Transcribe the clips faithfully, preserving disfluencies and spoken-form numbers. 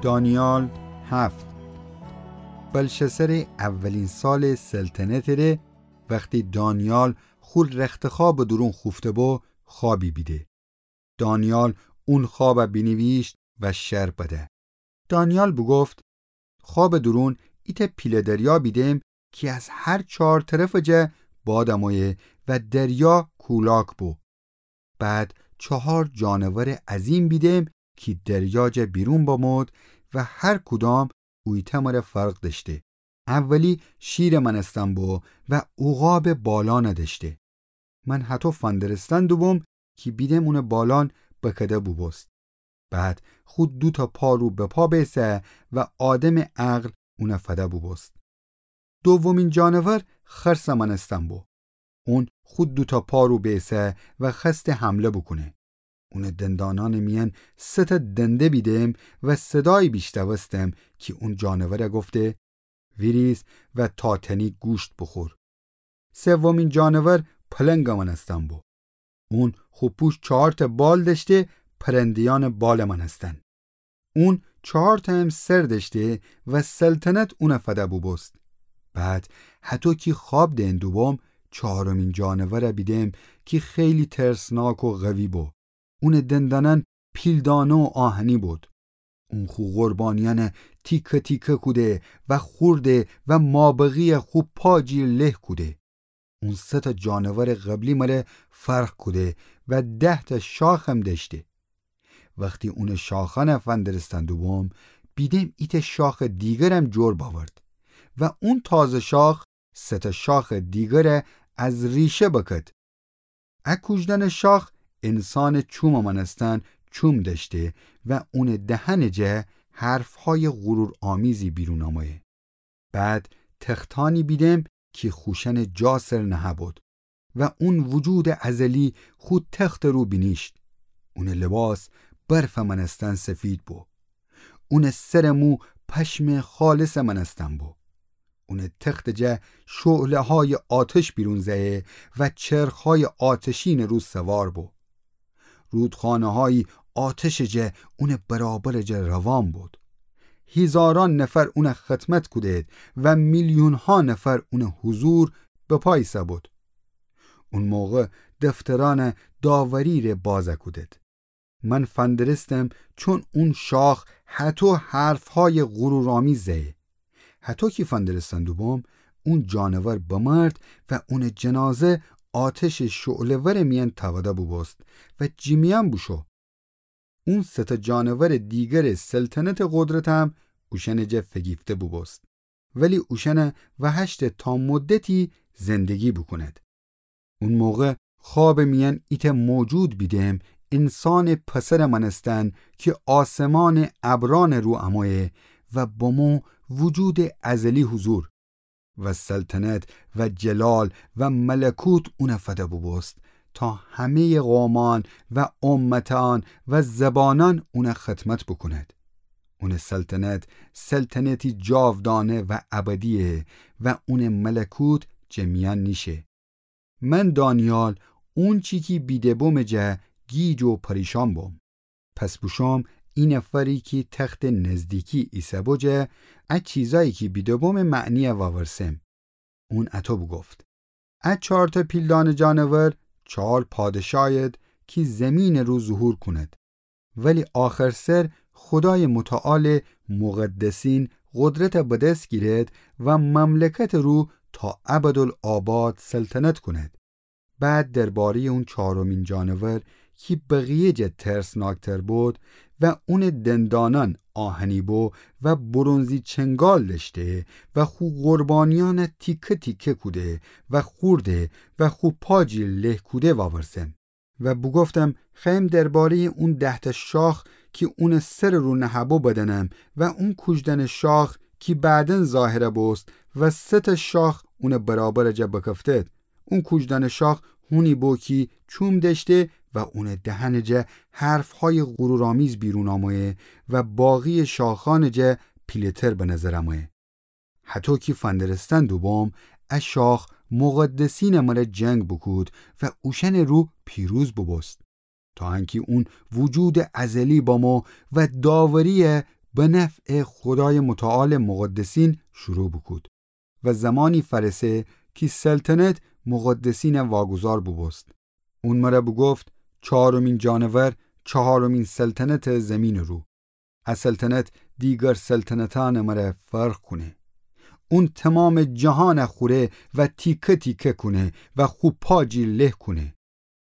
دانیال هفت. بلشسر اولین سال سلطنت ره، وختی دانیال خو رختخواب دورون خوفته بو، خوابی بیده. دانیال اون خوابه بینیویشت و شر بده. دانیال بوگفت: خواب دورون ایتأ پیله دریا بیدم کی از هر چهار طرف جه باد امویه و دریا کولاک بو. بعد چهار جانور عظیم بیدم کی دریا جه بیرون بمود و هر کدام اویتأ مره فرق دشته. اولی شیر مأنستن بو و عقاب بالان دشته. من هتو فندرستن دوبوم کی بیدم اون بالان بکده بوبوست. بعد خو دوتا پا رو به پا بیسه و آدم عقل اون فده بوبوست. دومین جانور خرس مأنستن بو. اون خو دوتا پا رو بیسه و خوأسته حمله بوکونه. اون دندانان میأن سه تا دنده بیدم و صدایی بیشنوستم کی اون جانور گفته: ویریز و تا تنی گوشت بوخور. سومین جانور پلنگ مأنستن بو. اون خو پوش چهارتا بال دشته، پرنده‌یأن بال مأنستن. اون چهارتا هم سر دشته و سلطنت اون فده بوبوست. بعد هتو کی خواب دئن دوبوم، چهارمین جانور بیدم کی خیلی ترسناک و قوی بو. اون دندانأن پیلدانه و آهنی بود. اون خو قربانیأن تیکه تیکه کوده و خورده و مابقی خو پا جیر له کوده. اون سه تا جانور قبلی مره فرق کوده و ده تا شاخم دشته. وختی اون شاخأن فندرستن دوبوم، بیدم ایتأ شاخ دیگرم جور باورد و اون تازه شاخ سه تا شاخ دیگر از ریشه بکد. ا کوژدن شاخ انسان چوم مأنستن چوم دشته و اون دهن جه حرفهای غرورآمیزی بیرون آمویه. بعد تختأنی بیدم کی خوشأن جا سر نهه بود و اون وجود ازلی خو تخت رو بینیشت. اون لباس برف مأنستن سفید بو. اون سر مو پشم خالص مأنستن بو. اون تخت جه شعله‌های آتش بیرون زه‌یه و چرخ‌های آتشین رو سوار بو. رودخانه‌های آتش جه اون برابر جه روان بود. هیزاران نفر اون خدمت کودید و میلیون‌ها نفر اون حضور به پا ایسه بود. اون موقع دفترأن داوری ره باز کودید. من فندرستم چون اون شاخ هتو حرفهای غرورآمیز زه‌یه. هتو کی فندرستن دوبوم، اون جانور بمرد و اون جنازه آتش شعله‌ور میأن تاوده بوبوست و جیمیأن بوشو. اون سه تا جانور دیگر سلطنت قدرتم اوشأن جه فگیفته بوبوست، ولی اوشأن وهشته تا مدتی زندگی بوکوند. اون موقع خواب میأن ایتأ موجود بیدم، انسان پسر مأنستن کی آسمان ابرأن رو امویه و بمو وجود ازلی حضور و سلطنت و جلال و ملکوت اون فده بوبوست تا همه‌ی قومأن و امتأن و زبانأن اون خدمت بوکوند. اون سلطنت سلطنتی جاودانه و ابدیه و اون ملکوت جه میأن نیشه. من دانیال اونچی کی بیده بوم جه گیج و پریشان بوم. پس بوشوم ای نفری کی تخت نزدیکی ایسه بو جه ا چیزایی کی بیده بوم معنی واورسم. اون اتو بوگفت: ا چارتا پیلدانه جانور چار پادشاهید کی زمین رو ظهور کونید. ولی آخر سر خودای متعال مقدسین قدرت به دس گیرد و مملکت رو تا ابدالآباد سلطنت کند. بعد درباره‌ی اون چهارمین جانور کی بقیه جه ترسناکتر بود و اون دندانان آهنی بو و برنزی چنگال دشته و خو قربانیان تیکه تیکه کوده و خورده و خو پا جیر له کوده واورسم. و بوگفتم: خیم درباره‌ی اون ده‌تأ شاخ کی اون سر رو نهه‌بو بدنم و اون کوژدن شاخ کی بعداً ظاهر بوست و سه‌تأ شاخ اون برابر جا بکفتد. اون کوژدن شاخ هونی بو کی چوم دشته و اون دهن جا حرف‌های غرورآمیز بیرون آمویه و باقی شاخان جا پیله‌تر به نظر آمویه. هتو کی فندرستن دوبوم، ا شاخ مقدسین مره جنگ بوکود و اوشن رو پیروز بوبوست. تا انکی اون وجود ازلی بامو و داوری به نفعٚ خودایٚ متعالٚ مقدسین شروع بوکود و زمانی فأرسه کی سلطنت مقدسینَ واگذار بوبوست. اون مره بوگفت: چهارمین جانور چهارمین سلطنتٚ زیمینٚ رو. ا سلطنت دیگر سلطنتأنٚ مره فرق کونه. اون تومامٚ جهانَ خوره و تیکه تیکه کونه و خو پا جیر له کونه.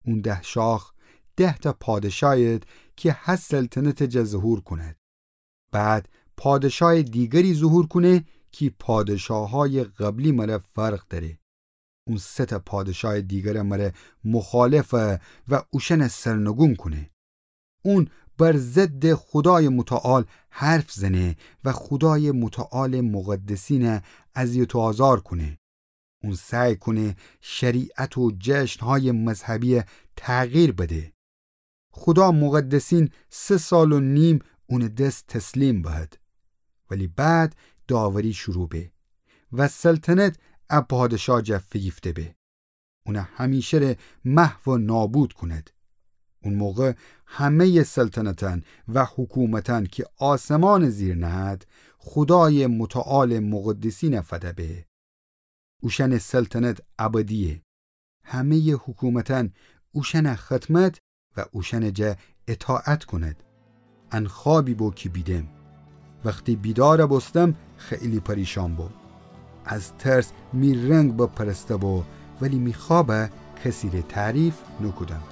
اون ده شاخ ده‌تأ پادشایید کی هر سلطنتٚ جا ظهور کونید. بعد پادشایٚ دیگری ظهور کونه کی پادشاهایٚ قبلی مره فرق دأره. اون سه‌تأ پادشایٚ دیگرٚ مره مخالفه و اوشأنَ سرنگون کونه. اون بر ضدٚ خودایٚ متعال حرف زنه و خودایٚ متعالٚ مقدسینَ اذیت و آزار کونه. اون سعی کونه شریعت و جشنهایٚ مذهبیَ تغییر بده. خودا مقدسین سه سال و نیم اونٚ دس تسلیم بهد. ولی بعد داوری شروع به و سلطنت ا پادشا جا فیگیفته به. اونَ همیشه‌ره محو و نابود کونید. اون موقع همه‌یٚ سلطنتأن و حکومتأن کی آسمانٚ زیر نهد، خودایٚ متعالٚ مقدسینَ فده به. اوشأنٚ سلطنت ابدیه. همه‌یٚ حکومتأن اوشأنَ خدمت و اوشأنٚ جا اطاعت کونید. ان خوابی بو کی بیدم. وختی بیدارَ بوستم، خیلی پریشان بو. از ترس می رنگ بپرسته بو، ولی می خوابَ کسی‌ره تعریف نوکودم.